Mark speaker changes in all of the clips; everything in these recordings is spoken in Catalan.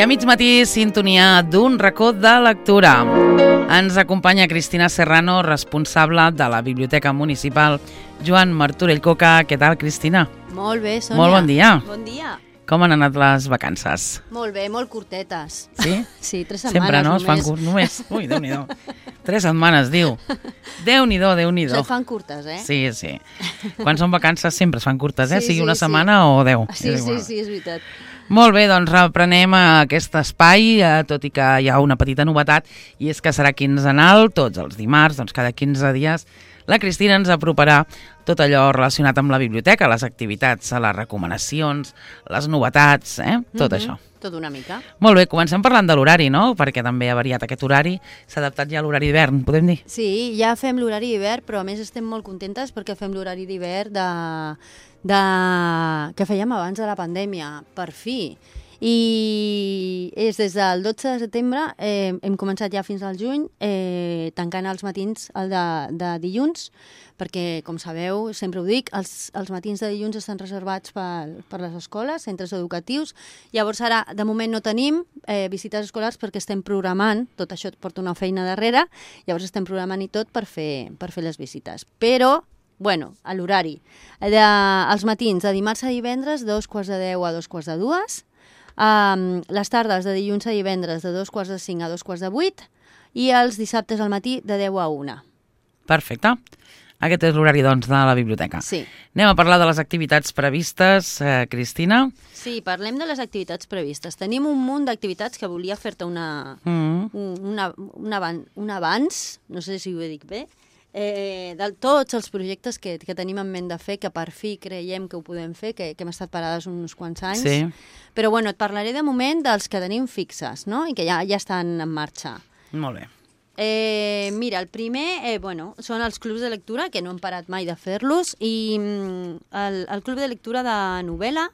Speaker 1: a mig matí, sintonia d'un racó de lectura. Ens acompanya Cristina Serrano, responsable de la Biblioteca Municipal Joan Martorell Coca. Què tal, Cristina?
Speaker 2: Molt bé, Sònia.
Speaker 1: Molt bon dia.
Speaker 2: Bon dia.
Speaker 1: Com han anat les vacances?
Speaker 2: Molt bé, molt curtetes.
Speaker 1: Sí?
Speaker 2: Sí, 3 setmanes
Speaker 1: Sempre, no?
Speaker 2: només.
Speaker 1: Es fan només. Ui, Déu-n'hi-do. 3 setmanes, diu. Déu-n'hi-do, Déu-n'hi-do.
Speaker 2: Se fan curtes, eh?
Speaker 1: Sí, sí. Quan són vacances sempre es fan curtes, eh?
Speaker 2: Sí,
Speaker 1: Sigui
Speaker 2: sí,
Speaker 1: una
Speaker 2: sí.
Speaker 1: setmana o 10.
Speaker 2: Sí, sí, sí, és veritat.
Speaker 1: Molt bé, doncs reprenem aquest espai, tot i que hi ha una petita novetat, i és que serà quinzenal, tots els dimarts, doncs cada 15 dies, la Cristina ens aproparà tot allò relacionat amb la biblioteca, les activitats, les recomanacions, les novetats, tot això.
Speaker 2: Tot una mica.
Speaker 1: Molt bé, comencem parlant de l'horari, no? Perquè també ha variat aquest horari, s'ha adaptat ja a l'horari d'hivern, podem dir?
Speaker 2: Sí, ja fem l'horari d'hivern, però a més estem molt contentes perquè fem l'horari d'hivern que fèiem abans de la pandèmia, per fi. I és des del 12 de setembre, hem començat ja fins al juny, tancant els matins de dilluns, perquè, com sabeu, sempre ho dic, els matins de dilluns estan reservats per les escoles, centres educatius. Llavors ara, de moment, no tenim visites escolars perquè estem programant, tot això porta una feina darrere, llavors estem programant i tot per fer les visites. Però, bueno, a l'horari, els matins de dimarts a divendres, 2:45 a 2:45, les tardes de dilluns a divendres de 2:45 a 2:45 i els dissabtes al matí de 10 a 1.
Speaker 1: Perfecte. Aquest és l'horari, doncs, de la biblioteca.
Speaker 2: Sí.
Speaker 1: Anem a parlar de les activitats previstes, Cristina.
Speaker 2: Sí, parlem de les activitats previstes. Tenim un munt d'activitats que volia fer-te un abans, no sé si ho dic bé, de tots els projectes que tenim en ment de fer, que per fi creiem que ho podem fer, que hem estat parades uns quants anys.
Speaker 1: Sí.
Speaker 2: Però bueno, et parlaré de moment dels que tenim fixes, no? I que ja estan en marxa.
Speaker 1: Molt bé.
Speaker 2: Mira, el primer són els clubs de lectura, que no hem parat mai de fer-los, i el club de lectura de novel·la,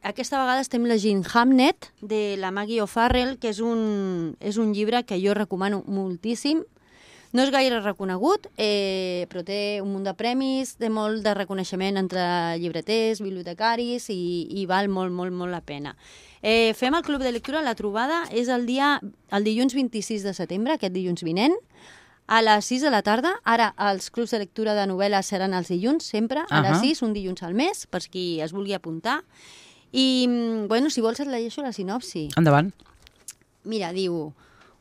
Speaker 2: aquesta vegada estem llegint Hamnet, de la Maggie O'Farrell, que és un llibre que jo recomano moltíssim. No és gaire reconegut, però té un munt de premis, té molt de reconeixement entre llibreters, bibliotecaris i val molt, molt, molt la pena. Fem el club de lectura, la trobada és el dilluns 26 de setembre, aquest dilluns vinent, a les 6 de la tarda. Ara els clubs de lectura de novel·la seran els dilluns, sempre, a les 6, un dilluns al mes, per qui es vulgui apuntar. I, bueno, si vols et llegeixo la sinopsi.
Speaker 1: Endavant.
Speaker 2: Mira, diu: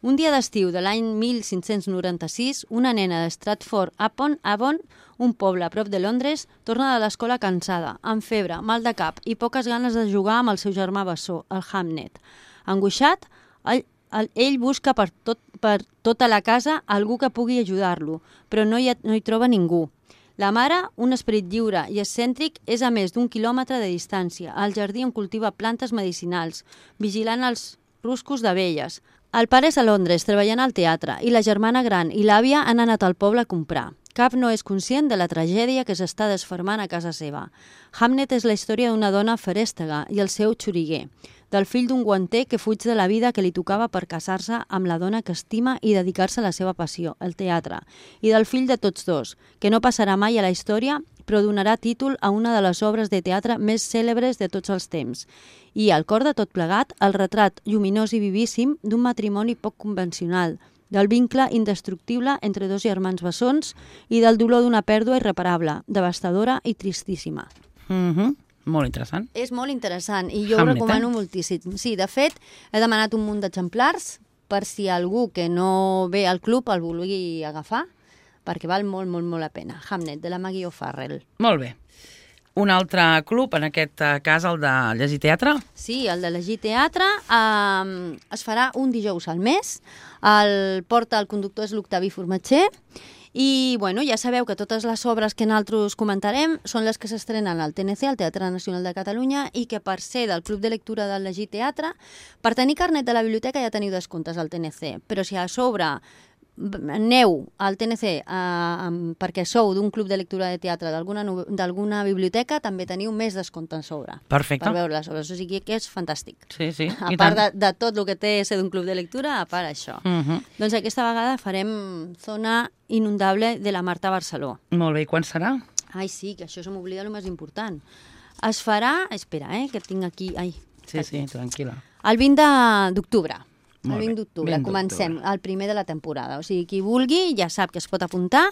Speaker 2: un dia d'estiu de l'any 1596, una nena de Stratford-upon-Avon, un poble a prop de Londres, torna de l'escola cansada, amb febre, mal de cap i poques ganes de jugar amb el seu germà bessó, el Hamnet. Angoixat, ell busca per tota la casa algú que pugui ajudar-lo, però no hi troba ningú. La mare, un esperit lliure i excèntric, és a més d'1 quilòmetre de distància, al jardí on cultiva plantes medicinals, vigilant els ruscos d'abelles. El pare és a Londres, treballant al teatre, i la germana gran i l'àvia han anat al poble a comprar. Cap no és conscient de la tragèdia que s'està desfermant a casa seva. Hamnet és la història d'una dona ferèstega i el seu xoriguer, del fill d'un guanter que fuig de la vida que li tocava per casar-se amb la dona que estima i dedicar-se a la seva passió, el teatre, i del fill de tots dos, que no passarà mai a la història, però donarà títol a una de les obres de teatre més cèlebres de tots els temps. I, al cor de tot plegat, el retrat lluminós i vivíssim d'un matrimoni poc convencional, del vincle indestructible entre dos germans bessons i del dolor d'una pèrdua irreparable, devastadora i tristíssima.
Speaker 1: Molt interessant.
Speaker 2: És molt interessant i jo
Speaker 1: Hamnet,
Speaker 2: ho recomano moltíssim. Sí, de fet, he demanat un munt d'exemplars per si algú que no ve al club el vulgui agafar, perquè val molt, molt, molt la pena. Hamnet, de la Maggie O'Farrell.
Speaker 1: Molt bé. Un altre club, en aquest cas el de llegir teatre?
Speaker 2: Sí, el de llegir teatre es farà un dijous al mes. El conductor és l'Octavi Formatger. I bueno, ja sabeu que totes les obres que nosaltres comentarem són les que s'estrenen al TNC, al Teatre Nacional de Catalunya, i que per ser del Club de Lectura del Llegir Teatre, per tenir carnet de la biblioteca ja teniu descomptes al TNC. Però si a sobre aneu al TNC perquè sou d'un club de lectura de teatre d'alguna biblioteca, també teniu més descompte a sobre.
Speaker 1: Perfecte.
Speaker 2: Per veure les obres, o sigui que és fantàstic.
Speaker 1: Sí, sí.
Speaker 2: A part de tot el que té ser d'un club de lectura, a part això. Doncs aquesta vegada farem Zona Inundable de la Marta Barceló.
Speaker 1: Molt bé, i quan serà?
Speaker 2: Ai, sí, que això se m'oblida el més important. Es farà... Espera, que tinc aquí... Ai,
Speaker 1: Sí, tranquil·la.
Speaker 2: El 20 d'octubre. El
Speaker 1: Molt
Speaker 2: 20
Speaker 1: bé,
Speaker 2: d'octubre.
Speaker 1: 20
Speaker 2: Comencem,
Speaker 1: d'octubre.
Speaker 2: el primer de la temporada. O sigui, qui vulgui ja sap que es pot apuntar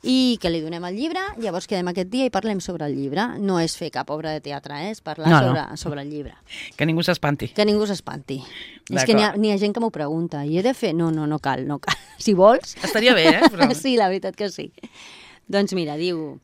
Speaker 2: i que li donem el llibre, llavors quedem aquest dia i parlem sobre el llibre. No és fer cap obra de teatre, és parlar sobre el llibre.
Speaker 1: Que ningú s'espanti.
Speaker 2: Que ningú s'espanti. És que n'hi ha gent que m'ho pregunta. I he de fer? No cal. Si vols...
Speaker 1: Estaria bé, Però...
Speaker 2: Sí, la veritat que sí. Doncs mira, diu...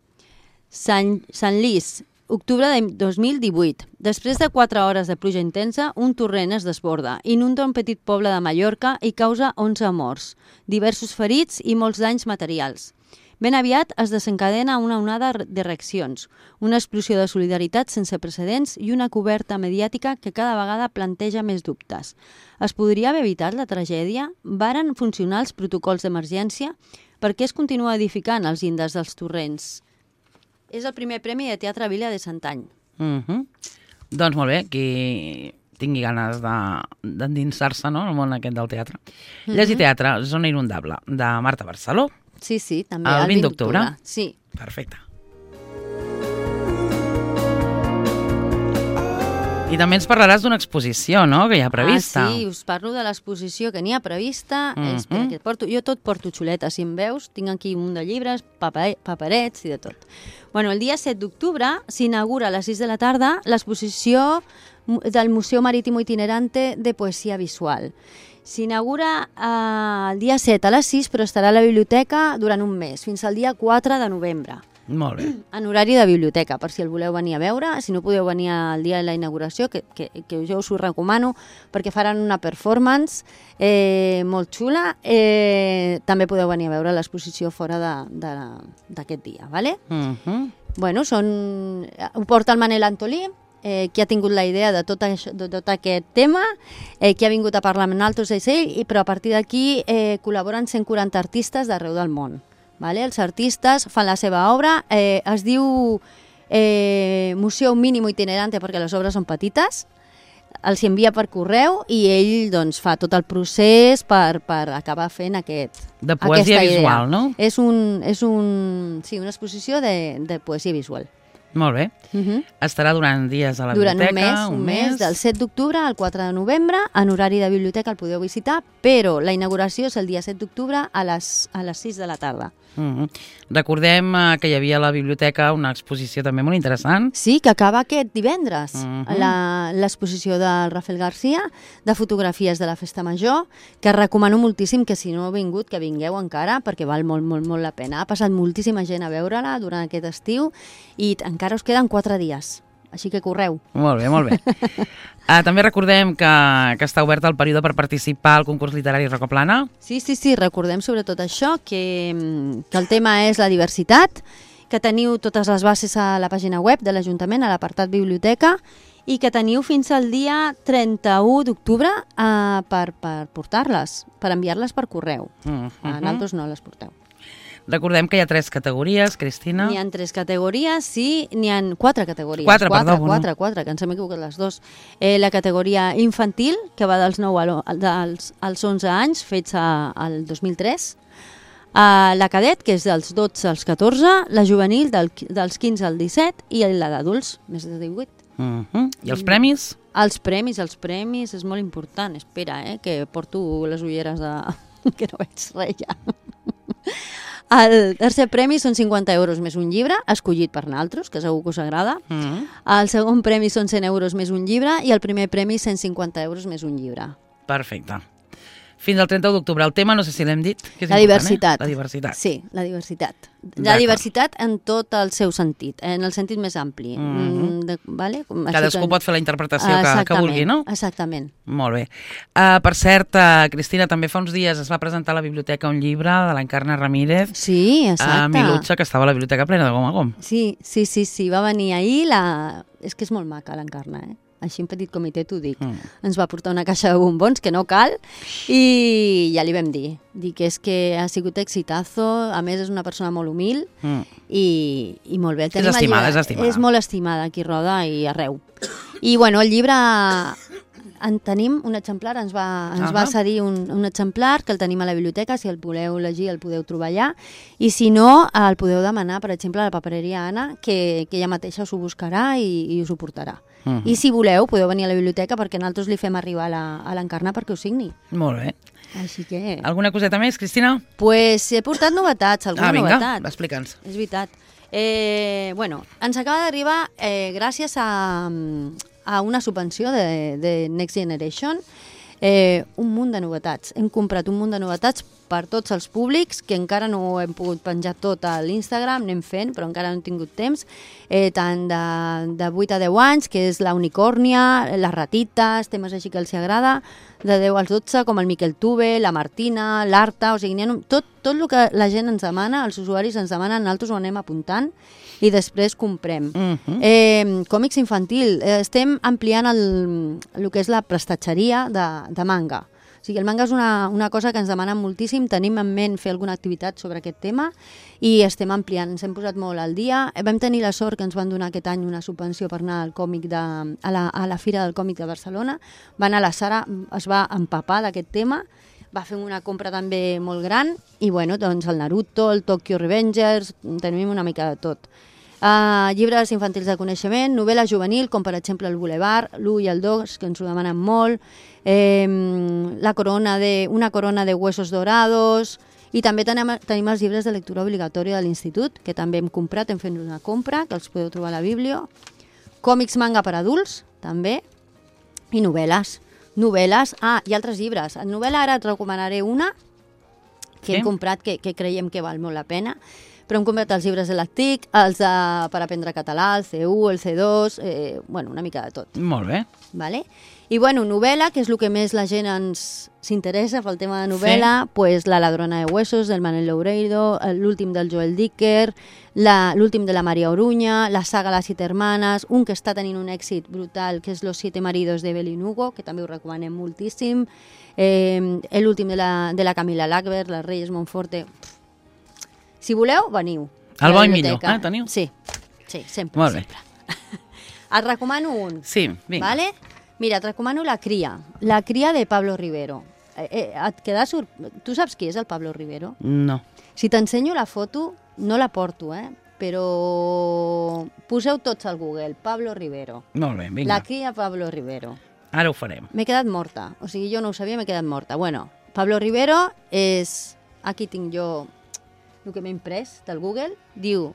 Speaker 2: Sant Llis, octubre de 2018. Després de 4 hores de pluja intensa, un torrent es desborda, inunda un petit poble de Mallorca i causa 11 morts, diversos ferits i molts danys materials. Ben aviat es desencadena una onada de reaccions, una explosió de solidaritat sense precedents i una coberta mediàtica que cada vegada planteja més dubtes. Es podria haver evitat la tragèdia? Varen funcionar els protocols d'emergència? Per què es continua edificant els índexs dels torrents? És el primer premi de Teatre Vila de Santany.
Speaker 1: Doncs molt bé, qui tingui ganes d'endinsar-se, no?, en el món aquest del teatre. Llegir teatre, Zona Inundable, de Marta Barceló.
Speaker 2: Sí, també.
Speaker 1: El 20 d'octubre?
Speaker 2: Sí.
Speaker 1: Perfecte. I també ens parlaràs d'una exposició, no?, que hi ha prevista.
Speaker 2: Sí, us parlo de l'exposició que n'hi ha prevista. Espera, que jo tot porto xuleta, si em veus. Tinc aquí un munt de llibres, paperets i de tot. Bueno, el dia 7 d'octubre s'inaugura a les 6 de la tarda l'exposició del Museu Marítimo Itinerante de Poesia Visual. S'inaugura el dia 7 a les 6, però estarà a la biblioteca durant un mes, fins al dia 4 de novembre.
Speaker 1: Molt bé.
Speaker 2: En horari de biblioteca, per si el voleu venir a veure. Si no podeu venir al dia de la inauguració, que jo us ho recomano, perquè faran una performance molt xula. També podeu venir a veure l'exposició fora d'aquest dia, ¿vale? Bueno, ho porta el Manel Antolí, qui ha tingut la idea de tot aquest tema, qui ha vingut a parlar amb nosaltres d'ell, però a partir d'aquí col·laboren 140 artistes d'arreu del món. Vale? Els artistes fan la seva obra, es diu Museu Mínimo Itinerante perquè les obres són petites, els envia per correu i ell doncs, fa tot el procés per acabar fent
Speaker 1: de poesia visual, no?
Speaker 2: És una exposició de poesia visual.
Speaker 1: Molt bé. Estarà durant dies a la biblioteca.
Speaker 2: Durant un mes, del 7 d'octubre al 4 de novembre, en horari de biblioteca el podeu visitar, però la inauguració és el dia 7 d'octubre a les 6 de la tarda.
Speaker 1: Recordem que hi havia a la biblioteca una exposició també molt interessant.
Speaker 2: Sí, que acaba aquest divendres. L'exposició del Rafael García, de fotografies de la Festa Major, que recomano moltíssim que si no heu vingut, que vingueu encara, perquè val molt, molt, molt la pena. Ha passat moltíssima gent a veure-la durant aquest estiu i encara us queden 4 dies. Així que correu.
Speaker 1: Molt bé, molt bé. També recordem que està obert el període per participar al concurs literari Rocaplana.
Speaker 2: Sí, recordem sobretot això, que el tema és la diversitat, que teniu totes les bases a la pàgina web de l'Ajuntament, a l'apartat Biblioteca, i que teniu fins al dia 31 d'octubre per portar-les, per enviar-les per correu. A nosaltres no les porteu.
Speaker 1: Recordem que hi ha 3 categories, Cristina.
Speaker 2: N'hi ha 3 categories, sí, n'hi ha 4 categories.
Speaker 1: 4,
Speaker 2: que ens hem equivocat les 2. La categoria infantil, que va dels 9 als 11 anys, fets al 2003. La cadet, que és dels 12 als 14, la juvenil dels 15 al 17 i la d'adults, més de 18.
Speaker 1: I els premis?
Speaker 2: Els premis, és molt important. Espera, que porto les ulleres que no veig res ja. El tercer premi són 50 euros més un llibre, escollit per nosaltres, que segur que us agrada. El segon premi són 100 euros més un llibre i el primer premi 150 euros més un llibre.
Speaker 1: Perfecte. Fins al 31 d'octubre. El tema, no sé si l'hem dit, que és
Speaker 2: la diversitat.
Speaker 1: La diversitat.
Speaker 2: Sí, la diversitat. La diversitat en tot el seu sentit, en el sentit més ampli. Vale?
Speaker 1: Cadascú pot fer la interpretació que vulgui, no?
Speaker 2: Exactament.
Speaker 1: Molt bé. Per cert, Cristina, també fa uns dies es va presentar a la biblioteca un llibre de l'Encarna Ramírez.
Speaker 2: Sí, exacte.
Speaker 1: Milutxa, que estava a la biblioteca plena de gom a gom.
Speaker 2: Sí. Va venir ahir. És que és molt maca l'Encarna, Així en petit comitè t'ho dic. Ens va portar una caixa de bombons, que no cal, i ja li vam dir que és que ha sigut exitazo, a més és una persona molt humil i molt bé.
Speaker 1: És estimada.
Speaker 2: És molt estimada aquí a Roda i arreu. I bueno, el llibre En tenim un exemplar, ens va cedir un exemplar, que el tenim a la biblioteca, si el voleu llegir el podeu trobar allà, i si no, el podeu demanar, per exemple, a la papereria Anna, que ella mateixa us ho buscarà i us ho portarà. I si voleu, podeu venir a la biblioteca perquè nosaltres li fem arribar a l'Encarna perquè ho signi.
Speaker 1: Molt bé.
Speaker 2: Així que...
Speaker 1: Alguna coseta més, Cristina?
Speaker 2: Pues he portat novetats, alguna novetat.
Speaker 1: Vinga, explica'ns.
Speaker 2: És veritat. Ens acaba d'arribar, gràcies a una subvenció de Next Generation, un munt de novetats. Hem comprat un munt de novetats per tots els públics, que encara no ho hem pogut penjar tot a l'Instagram, anem fent, però encara no hem tingut temps, tant de 8 a 10 anys, que és la Unicòrnia, les ratites, temes així que els agrada, de 10 als 12, com el Miquel Tuve, la Martina, l'Arta, o sigui, tot el que la gent ens demana, els usuaris ens demanen, nosaltres ho anem apuntant i després comprem. Còmics infantil, estem ampliant el que és la prestatgeria de manga. O sigui, el manga és una cosa que ens demanen moltíssim, tenim en ment fer alguna activitat sobre aquest tema i estem ampliant, ens hem posat molt al dia. Vam tenir la sort que ens van donar aquest any una subvenció per anar al còmic a la Fira del Còmic de Barcelona. Va anar la Sara, es va empapar d'aquest tema, va fer una compra també molt gran i doncs el Naruto, el Tokyo Revengers, tenim una mica de tot. Llibres infantils de coneixement, novel·la juvenil, com per exemple el Boulevard, l'1 i el 2, que ens ho demanen molt, una corona de huesos dorados, i també tenim els llibres de lectura obligatòria de l'institut, que també hem comprat, hem fet una compra, que els podeu trobar a la Biblio, còmics manga per adults, també, i novel·les. I altres llibres. En novel·la ara et recomanaré una que hem comprat, que creiem que val molt la pena, però hem comprat els llibres de l'ACTIC, els per aprendre català, el C1, el C2, una mica de tot.
Speaker 1: Molt bé.
Speaker 2: Vale? I novel·la, que és el que més la gent s'interessa pel tema de novel·la, pues La ladrona de huesos, del Manel Loureiro, l'últim del Joel Dicker, l'últim de la Maria Oruña, la saga Las 7 hermanas, un que està tenint un èxit brutal, que és Los 7 maridos de Evelyn Hugo, que també ho recomanem moltíssim, l'últim de la Camila Lackberg, Les Reyes Monforte. Si voleu, veniu.
Speaker 1: El bo i millor, teniu?
Speaker 2: Sí, sempre.
Speaker 1: Molt bé.
Speaker 2: Et recomano un.
Speaker 1: Sí, vinga.
Speaker 2: Vale? Mira, et recomano La cria de Pablo Rivero. Tu saps qui és el Pablo Rivero?
Speaker 1: No.
Speaker 2: Si t'ensenyo la foto, no la porto, però poseu tots al Google, Pablo Rivero.
Speaker 1: Molt bé, vinga.
Speaker 2: La cria Pablo Rivero.
Speaker 1: Ara ho farem.
Speaker 2: M'he quedat morta, o sigui, jo no ho sabia, m'he quedat morta. Pablo Rivero és... Aquí tinc jo el que m'he imprès del Google. Diu...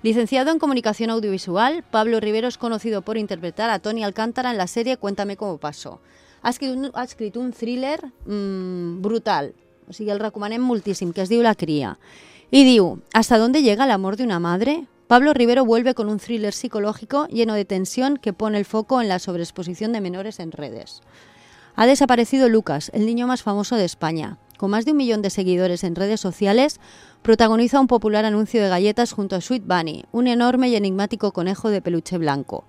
Speaker 2: Licenciado en Comunicación Audiovisual, Pablo Rivero es conocido por interpretar a Tony Alcántara en la serie Cuéntame cómo pasó. Ha escrit un thriller brutal, o sigui, el recomanem moltíssim, que es diu La cría. Y diu, ¿hasta dónde llega el amor de una madre? Pablo Rivero vuelve con un thriller psicológico lleno de tensión que pone el foco en la sobreexposición de menores en redes. Ha desaparecido Lucas, el niño más famoso de España. Con más de 1 millón de seguidores en redes sociales, protagoniza un popular anuncio de galletas junto a Sweet Bunny, un enorme y enigmático conejo de peluche blanco.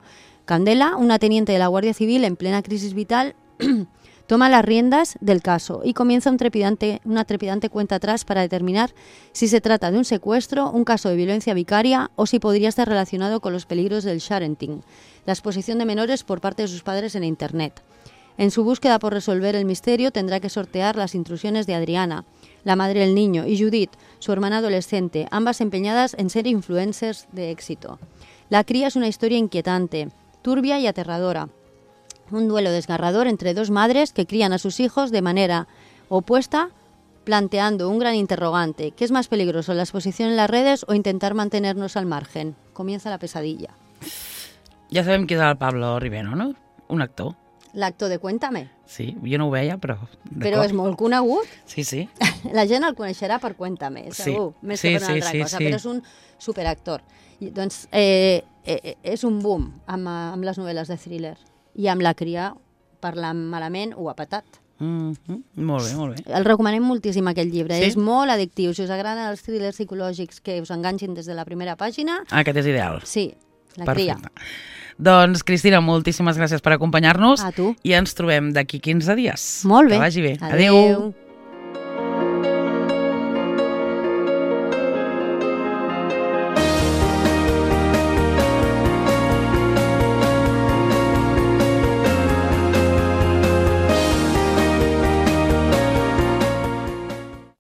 Speaker 2: Candela, una teniente de la Guardia Civil en plena crisis vital, toma las riendas del caso y comienza una trepidante cuenta atrás para determinar si se trata de un secuestro, un caso de violencia vicaria o si podría estar relacionado con los peligros del sharenting, la exposición de menores por parte de sus padres en Internet. En su búsqueda por resolver el misterio tendrá que sortear las intrusiones de Adriana, la madre del niño, y Judith, su hermana adolescente, ambas empeñadas en ser influencers de éxito. La cría es una historia inquietante, turbia y aterradora. Un duelo desgarrador entre dos madres que crían a sus hijos de manera opuesta, planteando un gran interrogante. ¿Qué es más peligroso, la exposición en las redes o intentar mantenernos al margen? Comienza la pesadilla.
Speaker 1: Ja sabem qui és el Pablo Rivero, no? Un actor.
Speaker 2: L'actor de Cuéntame.
Speaker 1: Sí, jo no ho veia, però...
Speaker 2: Però és molt conegut.
Speaker 1: Sí, sí.
Speaker 2: La gent el coneixerà per Cuéntame, segur.
Speaker 1: Sí.
Speaker 2: Més que per una altra cosa, però és un superactor. I, doncs, és un boom amb les novel·les de thriller. I amb La cria, parlant malament, ho ha patat.
Speaker 1: Molt bé, molt bé.
Speaker 2: El recomanem moltíssim, aquest llibre.
Speaker 1: Sí?
Speaker 2: És molt addictiu. Si us agraden els thrillers psicològics que us enganxin des de la primera pàgina...
Speaker 1: Aquest és ideal.
Speaker 2: Sí, La cria.
Speaker 1: Doncs, Cristina, moltíssimes gràcies per acompanyar-nos.
Speaker 2: A tu.
Speaker 1: I ens trobem d'aquí 15 dies.
Speaker 2: Molt bé.
Speaker 1: Que vagi bé.
Speaker 2: Adéu.